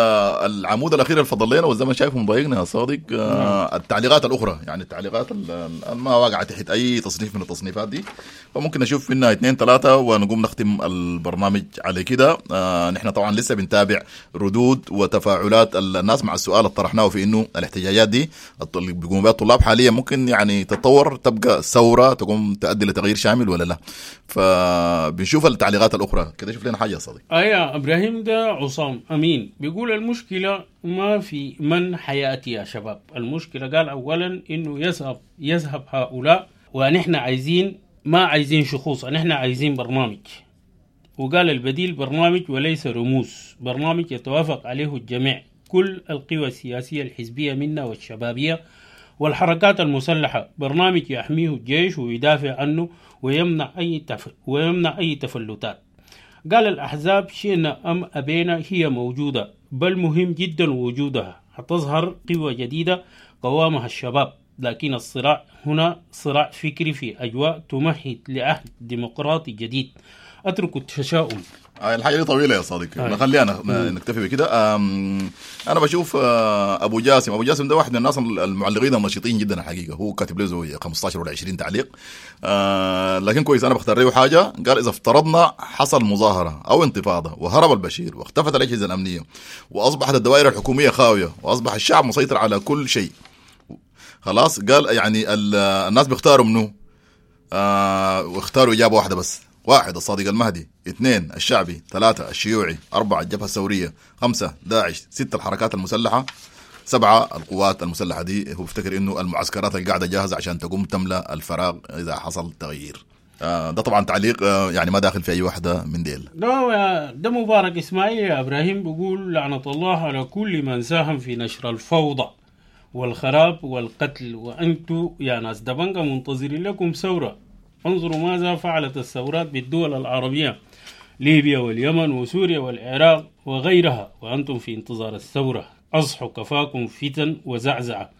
العمود الاخير اللي فضل لنا، والزمن شايفه مضايقنا يا صادق. آه التعليقات الاخرى، يعني التعليقات ال- ال- ما واقعه تحت اي تصنيف من التصنيفات دي، فممكن نشوف منها اثنين ثلاثة ونقوم نختم البرنامج على كده. آه نحن طبعا لسه بنتابع ردود وتفاعلات الناس مع السؤال اللي طرحناه في انه الاحتجاجات دي الط- اللي بيقوموا بها الطلاب حاليا ممكن يعني تتطور تبقى ثورة تقوم تؤدي لتغيير شامل ولا لا. فبنشوف التعليقات الاخرى كده. شوف لنا حاجة يا صديق. آه يا ابراهيم، ده عصام امين بيقول المشكلة ما في من حياتي يا شباب. المشكلة قال اولا انه يذهب يذهب هؤلاء، ونحن عايزين ما عايزين شخوص، نحن عايزين برنامج. وقال البديل برنامج وليس رموز، برنامج يتوافق عليه الجميع، كل القوى السياسية الحزبية منا والشبابية والحركات المسلحة، برنامج يحميه الجيش ويدافع عنه ويمنع أي تف... ويمنع أي تفلتات. قال الأحزاب شئنا أم أبينا هي موجودة، بل مهم جدا وجودها، حتظهر قوى جديدة قوامها الشباب، لكن الصراع هنا صراع فكري في أجواء تمهد لعهد ديمقراطي جديد. أترك التشاؤم. آه، الحاجة دي طويلة يا صديق، آه. خلينا نكتفي بكده. آم، انا بشوف آه، ابو جاسم، ابو جاسم ده واحد من الناس المعلقين النشيطين جدا الحقيقة، هو كاتب له زي خمستاشر ولا عشرين تعليق، آه، لكن كويس. انا بختار له حاجة. قال اذا افترضنا حصل مظاهره او انتفاضة وهرب البشير واختفت الاجهزة الامنية واصبحت الدوائر الحكومية خاوية واصبح الشعب مسيطر على كل شيء، خلاص. قال يعني ال- الناس بيختاروا منه، آه واختاروا اجابه واحدة بس: واحد الصادق المهدي، اثنين الشعبي، ثلاثة الشيوعي، أربعة الجبهة الثورية، خمسة داعش، ستة الحركات المسلحة، سبعة القوات المسلحة. دي هو بيفتكر انه المعسكرات اللي قاعدة جاهزة عشان تقوم تملأ الفراغ إذا حصل تغيير. آه ده طبعا تعليق آه يعني ما داخل في أي واحدة من ديل. ده ده مبارك إسماعيل يا إبراهيم بيقول لعنة الله على كل من ساهم في نشر الفوضى والخراب والقتل، وأنتوا يا ناس دبنجة منتظرين لكم ثورة. انظروا ماذا فعلت الثورات بالدول العربية، ليبيا واليمن وسوريا والعراق وغيرها، وأنتم في انتظار الثورة. أصحوا، كفاكم فتن وزعزعة،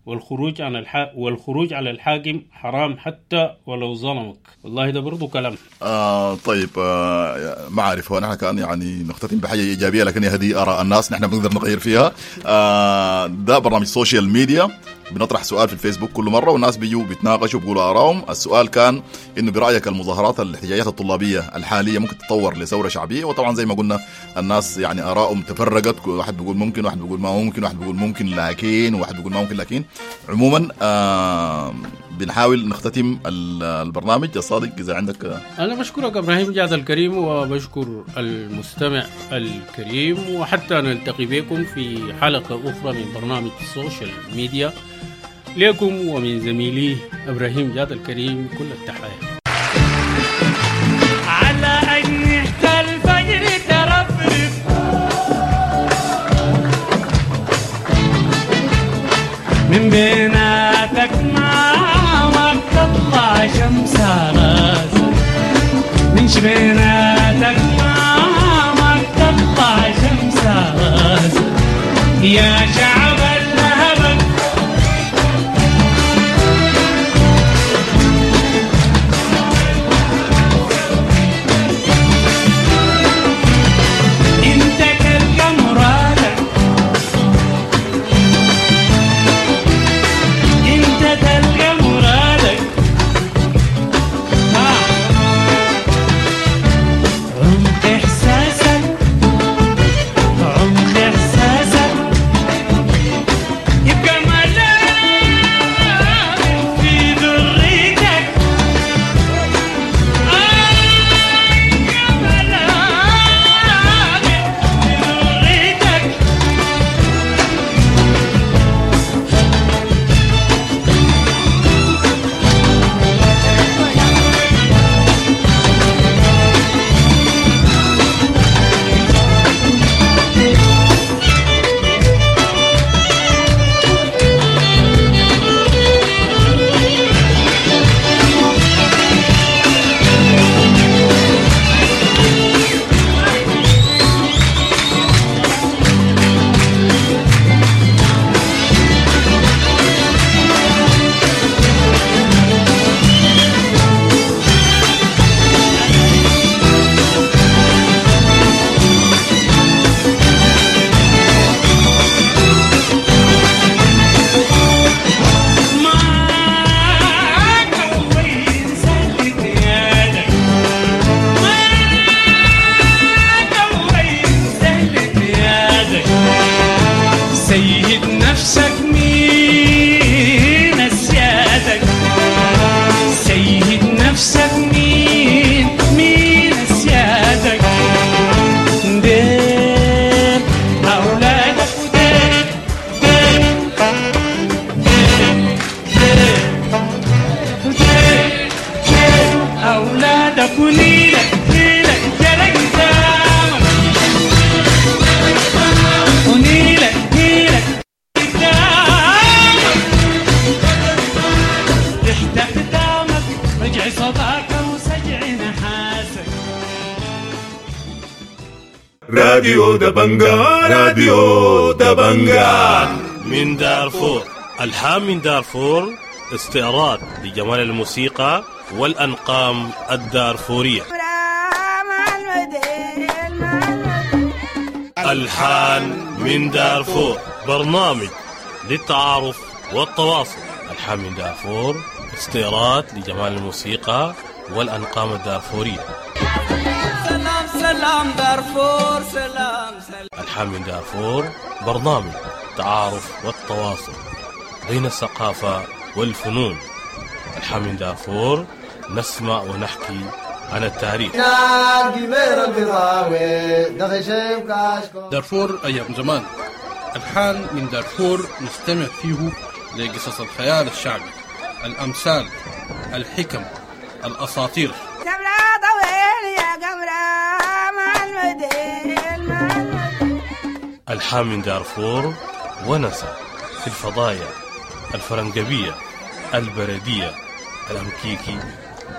والخروج عن الح... والخروج على الحاكم حرام حتى ولو ظلمك. والله ده برضو كلام. آه طيب، آه ما عارف، هو نحن كان يعني نختتم بحاجة ايجابية، لكن هذه اراء الناس نحن بنقدر نغير فيها. آه ده برنامج social media، بنطرح سؤال في الفيسبوك كل مرة والناس بيجوا بيتناقشوا بيقولوا ارائهم. السؤال كان انه برايك المظاهرات الاحتجاجات الطلابيه الحالية ممكن تتطور لثوره شعبية؟ وطبعا زي ما قلنا الناس يعني ارائهم تفرقت، كل واحد بيقول ممكن، واحد بيقول ما ممكن، واحد بيقول ممكن لكن، وواحد بيقول ما ممكن لكن. عموما آه بنحاول نختتم ال- البرنامج. يا صادق اذا عندك آه، أنا بشكرك إبراهيم جاد الكريم، وبشكر المستمع الكريم، وحتى نلتقي بكم في حلقة أخرى من برنامج ال social media. لكم ومن زميلي إبراهيم جاد الكريم كل التحايا. على أجنحة الفجر ترفرف، من بيناتك ما تطلع شمس راسك، من شبيناتك ما تطلع شمس راسك، يا شعب اللهبك. انت تلقى مرادك، انت تلقى مرادك، ها. عمق احساسك، عمق احساسك، راديو دبنجا، راديو دبنجا. من دارفور، ألحان من دارفور، استعراض لجمال الموسيقى والأنقام الدارفورية. ألحان من دارفور، برنامج للتعارف والتواصل. ألحان من دارفور، استعراض لجمال الموسيقى والأنقام الدارفورية. سلام سلام دارفور، سلام سلام. ألحان من دارفور، برنامج التعارف والتواصل بين الثقافة والفنون. ألحان من دارفور، نسمع ونحكي عن التاريخ. دارفور أيام زمان، ألحان من دارفور نستمع فيه لقصص الخيال الشعبي، الأمثال، الحكم، الأساطير. ألحان من دارفور، ونسى في الفضايا الفرنجبية، البردية، الأمكيكي،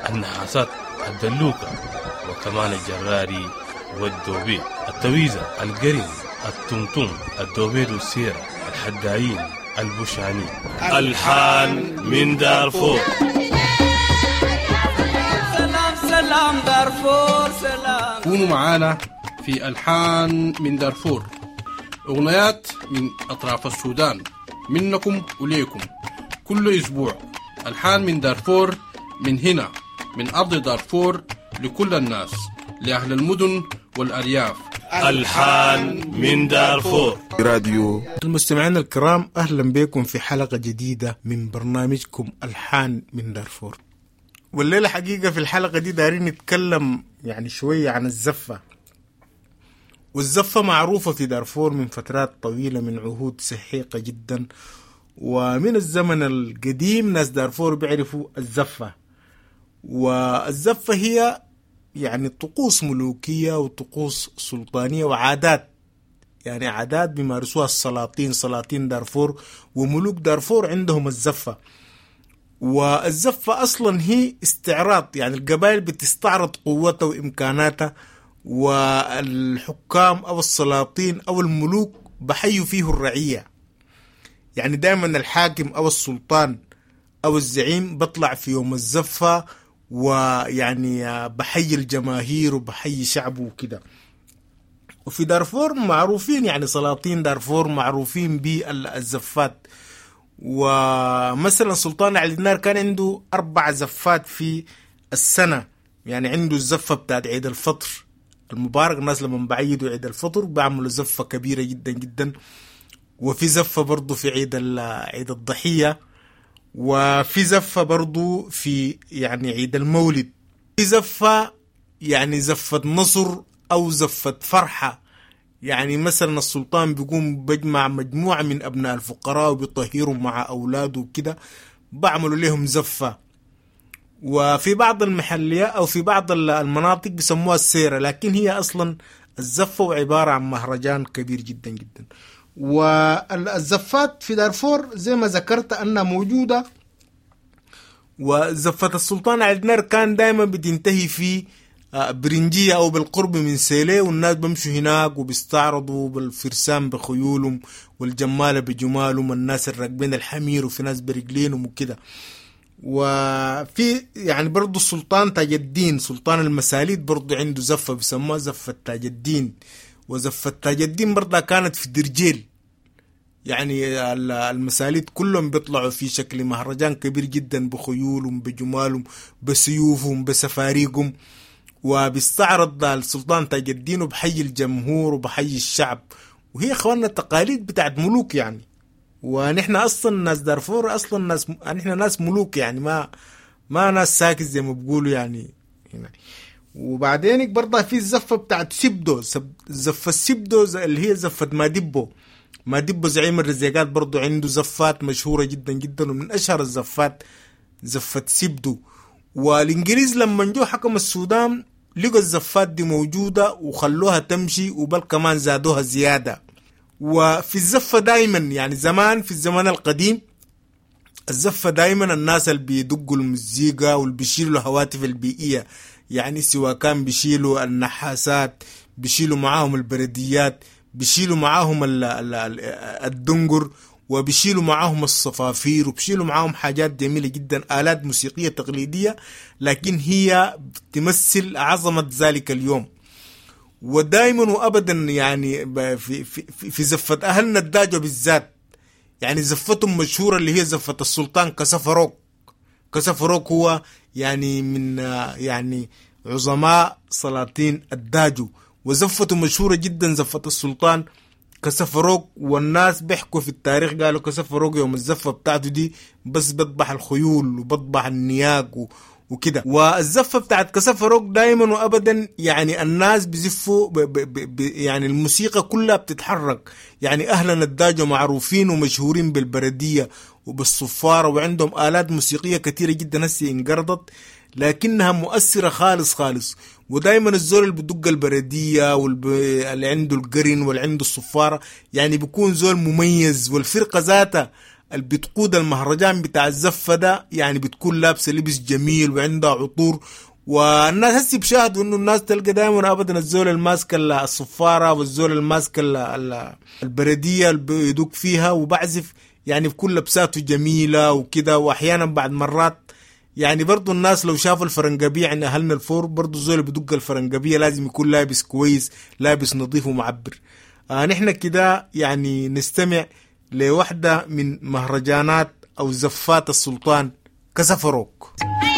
النحاسات، الدلوكة، وكمان الجراري والدوبيت، التويزة، القرن، التمتم، الدوبيت والسيرة، الحدايين، البوشاني. ألحان من دارفور. سلام سلام دارفور، سلام. كونوا معانا في ألحان من دارفور، أغنيات من أطراف السودان، منكم وليكم كل أسبوع. ألحان من دارفور، من هنا من أرض دارفور، لكل الناس، لأهل المدن والأرياف. ألحان من دارفور. راديو. المستمعين الكرام، أهلا بكم في حلقة جديدة من برنامجكم ألحان من دارفور. والليلة حقيقة في الحلقة دي دارين نتكلم يعني شوية عن الزفة. والزفة معروفة في دارفور من فترات طويلة، من عهود سحيقة جدا، ومن الزمن القديم ناس دارفور بيعرفوا الزفة. والزفة هي يعني طقوس ملوكية وطقوس سلطانية وعادات، يعني عادات بيمارسوها السلاطين، سلاطين دارفور وملوك دارفور عندهم الزفة. والزفة أصلا هي استعراض، يعني القبائل بتستعرض قوتها وإمكاناتها، والحكام أو السلاطين أو الملوك بحيوا فيه الرعية. يعني دائما الحاكم أو السلطان أو الزعيم بطلع في يوم الزفة ويعني بحيي الجماهير وبحيي شعبه وكده. وفي دارفور معروفين، يعني سلاطين دارفور معروفين بالزفات. ومثلا سلطان علي النار كان عنده أربع زفات في السنة، يعني عنده الزفة بتاعت عيد الفطر المبارك، الناس لما بعيدوا عيد الفطر بعملوا زفة كبيرة جدا جدا. وفي زفة برضو في عيد عيد الضحية، وفي زفة برضو في يعني عيد المولد، في زفة يعني زفة نصر أو زفة فرحة. يعني مثلا السلطان بيقوم بجمع مجموعة من أبناء الفقراء وبيطهرهم مع أولاده وكده، بعملوا لهم زفة. وفي بعض المحليات أو في بعض المناطق بيسموها السيرة، لكن هي أصلا الزفة وعبارة عن مهرجان كبير جدا جدا. والزفات في دارفور زي ما ذكرت أنها موجودة. وزفة السلطان علي النار كان دائما بتنتهي في برنجية أو بالقرب من سيليه، والناس بمشوا هناك وبيستعرضوا بالفرسان بخيولهم والجمالة بجمالهم، الناس الراكبين الحمير وفي ناس برجلينهم وكده. وفي يعني برضو السلطان تاج الدين، سلطان المساليت، برضو عنده زفة بيسموها زفة تاج الدين. وزفة تاج الدين برضه كانت في درجيل، يعني المساليت كلهم بيطلعوا في شكل مهرجان كبير جدا بخيولهم بجمالهم بسيوفهم بسفاريقهم، وبيستعرض السلطان تاج الدين وبحيي الجمهور وبحيي الشعب. وهي اخواننا التقاليد بتاعت ملوك يعني، ونحن اصلا ناس دارفور اصلا ناس، نحن ناس ملوك يعني، ما ما ناس ساكت زي ما بيقولوا يعني هنا. وبعدين برضه في الزفة بتاعت سيبدو، زفة سيبدو اللي هي زفة مادبو. مادبو زعيم الرزيقات برضه عنده زفات مشهورة جدا جدا، ومن أشهر الزفات زفة سيبدو. والإنجليز لما جو حكم السودان لقوا الزفات دي موجودة وخلوها تمشي، وبل كمان زادوها زيادة. وفي الزفة دايما يعني زمان في الزمن القديم الزفة دايما الناس اللي بيدقوا المزيكا واللي بيشيلوا الهواتف البيئية، يعني سواء كان بيشيلوا النحاسات، بيشيلوا معاهم البرديات، بيشيلوا معاهم ال ال ال الدنقر، وبيشيلوا معاهم الصفافير، وبيشيلوا معاهم حاجات جميلة جدا، آلات موسيقية تقليدية لكن هي تمثل عظمة ذلك اليوم. ودائما وابدا يعني في في في زفة اهلنا الداجو بالذات، يعني زفتهم مشهورة اللي هي زفة السلطان كسفروك. كسفروك هو يعني من يعني عظماء سلاطين الداجو، وزفته مشهورة جدا زفة السلطان كسفروك. والناس بيحكوا في التاريخ قالوا كسفروك يوم الزفة بتاعته دي بس بطبح الخيول وبطبح النياق و وكده. والزفة بتاعت كسفروك دايما وابدا يعني الناس بزفوا ب ب ب يعني الموسيقى كلها بتتحرك. يعني اهلنا الداجو معروفين ومشهورين بالبردية وبالصفارة، وعندهم آلات موسيقية كثيرة جدا هسه انقرضت لكنها مؤثرة خالص خالص. ودايما الزول اللي بدق البردية واللي عنده القرن واللي عنده الصفارة يعني بيكون زول مميز. والفرقة ذاتها اللي بتقود المهرجان بتاع الزفة ده يعني بتكون لابسة لبس جميل وعندها عطور. والناس هسي بشاهدوا انه الناس تلقى دايما ابدا الزول الماسك الصفارة والزول الماسك البردية اللي بيدق فيها وبعزف، يعني بكل لبساته جميلة وكده. واحيانا بعد مرات يعني برضو الناس لو شافوا الفرنقبية عند أهلنا الفور، برضو الزول اللي بدق الفرنقبية لازم يكون لابس كويس، لابس نظيف ومعبر. آه نحن كده يعني نستمع لوحدة من مهرجانات أو زفات السلطان كسفروك. Yeah.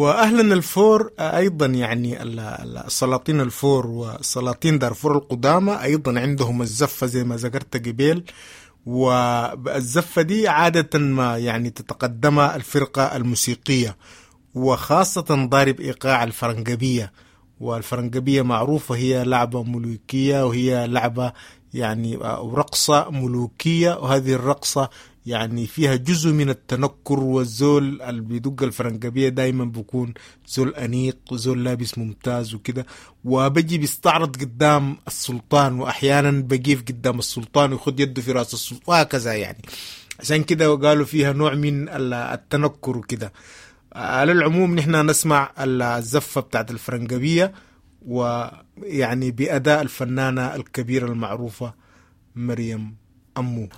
وأهلنا الفور أيضا يعني السلاطين الفور وسلاطين دارفور القدامى أيضا عندهم الزفة زي ما ذكرت قبيل، والزفة دي عادة ما يعني تتقدمها الفرقة الموسيقية، وخاصة ضارب إيقاع الفرنجبية. والفرنجبية معروفة هي لعبة ملوكية، وهي لعبة يعني رقصة ملوكية، وهذه الرقصة يعني فيها جزء من التنكر، والزول اللي بيدق الفرنجبية دايما بيكون زول أنيق وزول لابس ممتاز وكده، وبجي بيستعرض قدام السلطان، وأحيانا بقيف قدام السلطان ويخد يده في رأس السلطان وهكذا يعني. عشان كده قالوا فيها نوع من التنكر وكده. على العموم نحن نسمع الزفة بتاعت الفرنجبية، ويعني بأداء الفنانة الكبيرة المعروفة مريم أمو.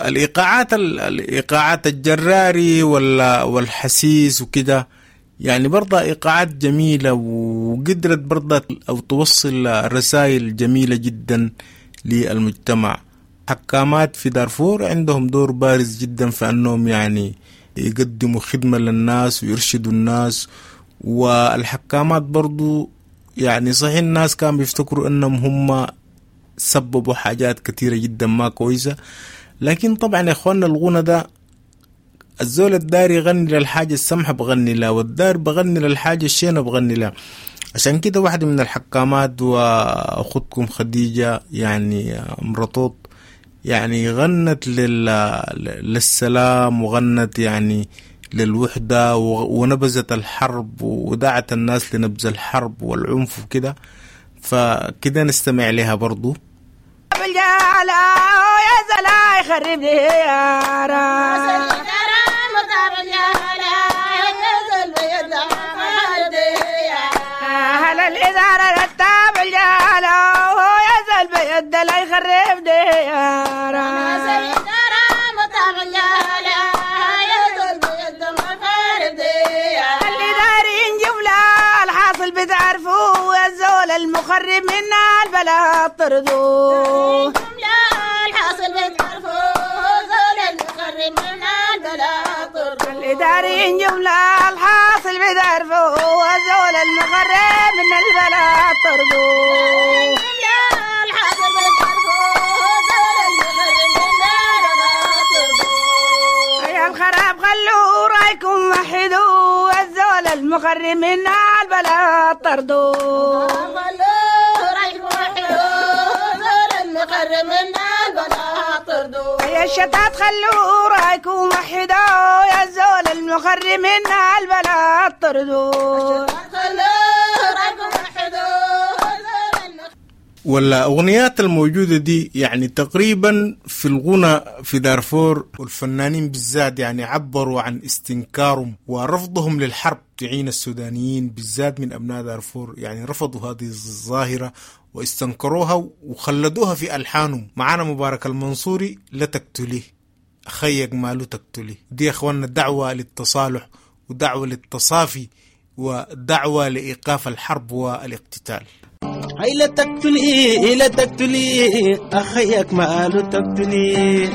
الإيقاعات الإيقاعات الجراري والحسيس وكده يعني برضه إيقاعات جميلة، وقدرت برضه أو توصل رسائل جميلة جدا للمجتمع. حكامات في دارفور عندهم دور بارز جدا في أنهم يعني يقدموا خدمة للناس ويرشدوا الناس. والحكامات برضو يعني صحيح الناس كانوا بيفتكروا أنهم هم سببوا حاجات كثيرة جدا ما كويسة، لكن طبعا يا اخواننا الغنى ده الزول الدار يغني للحاجة السمحة بغني لها، والدار بغني للحاجة الشينة بغني لها. عشان كده واحدة من الحكامات وأختكم خديجة يعني مرطوط يعني غنت لل... للسلام، وغنت يعني للوحدة، ونبذت الحرب ودعت الناس لنبذ الحرب والعنف وكده. فكده نستمع لها برضو. المخرب منا البلاء طردوه، الحاصل بتعرفوه زول المخرب منا البلاء طردوه. الإداريين جملة الحاصل بتعرفوه زول المخرب من البلاء طردوه. الحاصل بتعرفوه زول المخرب منا البلاء طردوه. يا الخراب خلوا رايكم وحدوا، الزول المخرب منا البلاء طردوه. يا الشتات خلوا رايكم وحدوا، يا الزول المخرب منا البلاء طردوه. والأغنيات الموجودة دي يعني تقريبا في الغنى في دارفور والفنانين بالذات يعني عبروا عن استنكارهم ورفضهم للحرب. تعين السودانيين بالذات من أبناء دارفور يعني رفضوا هذه الظاهرة واستنكروها وخلدوها في ألحانهم. معانا مبارك المنصوري، لا تقتليه أخيك ماله تقتليه. دي يا أخواننا دعوة للتصالح ودعوة للتصافي ودعوة لإيقاف الحرب والاقتتال. هاي لا تقتلي لا تقتلي أخيك ماله تقتلي،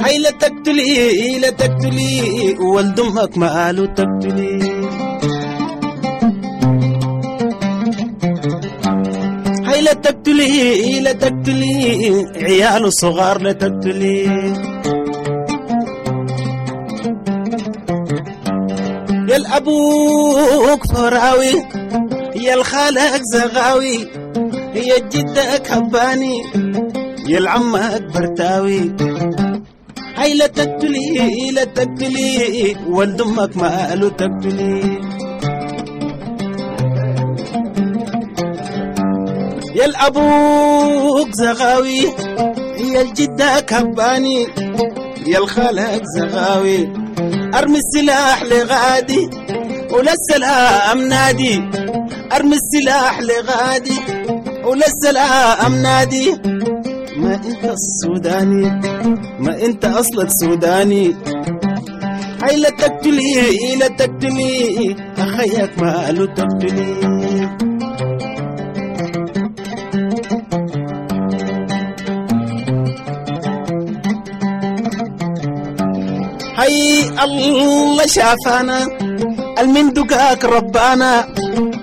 هاي لا تقتلي لا تقتلي ولد أمك ماله تقتلي، هاي لا تقتلي لا تقتلي عياله صغار لا تقتلي. يا الأبوك فراوي يا الخالك زغاوي يا جدك هباني يا العمك برتاوي، هاي لا تقتلي لا تقتلي ولد أمك ماله تقتلي. يا الأبوك زغاوي يا الجدك هباني يا الخالك زغاوي، ارمي السلاح لغادي ولا السلام نادي، ارمي السلاح لغادي ولا السلام نادي. ما انت السوداني ما انت اصلك سوداني، هاي لا تقتلي لا تقتلي اخيك ماله تقتلي. هاي الله شافانا المن دقاك ربانا،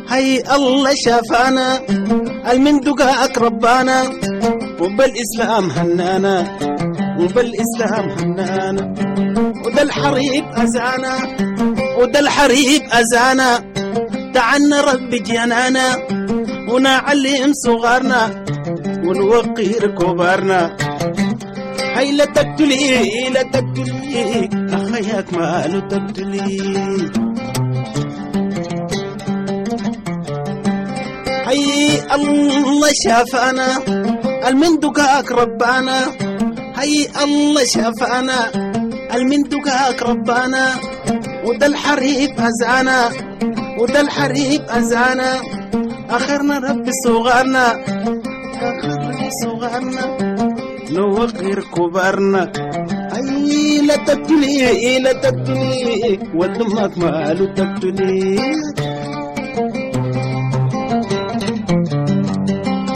هاي الله شافانا المن دقاك ربانا، وبالإسلام هنانا وبالإسلام هنانا، وده الحريب أزانا وده الحريب أزانا، تعنا رب جنانا ونعلم صغارنا ونوقر كبارنا. هاي لا تقتلي لا تقتلي أخيك ماله تقتلي، هاي الله شافانا المن دقاك ربانا، هاي الله شافانا المن دقاك ربانا، وده الحريب أزانا وده الحريب أزانا، آخرنا ربي صغارنا آخرنا صغارنا نوقر كبارنا. أي لا تقتلي لا تقتلي ولد أمك ماله تقتلي،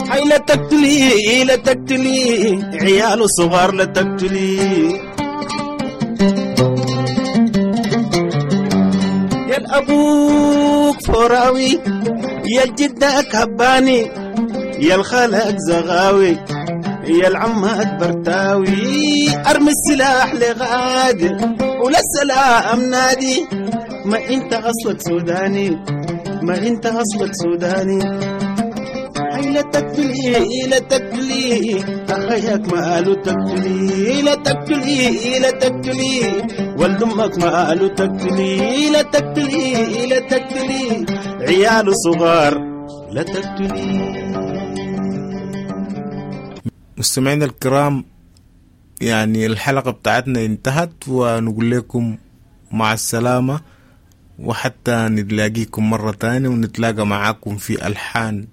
هاي لا تقتلي لا تقتلي عياله صغار لا تقتلي. يا الأبوك فراوي يا الجدك هباني يا الخالك زغاوي يا العمك برتاوي، ارمي السلاح لغادي ولا السلام نادي. ما انت اصلك سوداني، ما انت اصلك سوداني. هاي لا تقتلي لا تقتلي اخيك ما قالوا تقتلي، لا تقتلي لا تقتلي ولد امك ما قالوا تقتلي، لا تقتلي لا تقتلي عياله صغار لا تقتلي. مستمعينا الكرام، يعني الحلقة بتاعتنا انتهت، ونقول لكم مع السلامة، وحتى نلاقيكم مرة تانية ونتلاقى معاكم في ألحان.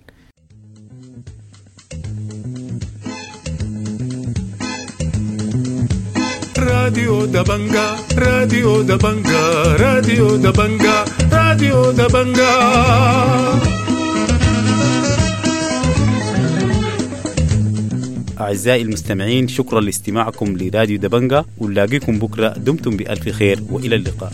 راديو دبنجا، راديو دبنجا، راديو دبنجا، راديو دبنجا. أعزائي المستمعين، شكرا لاستماعكم لراديو دبنجا، ونلاقيكم بكرة. دمتم بألف خير وإلى اللقاء.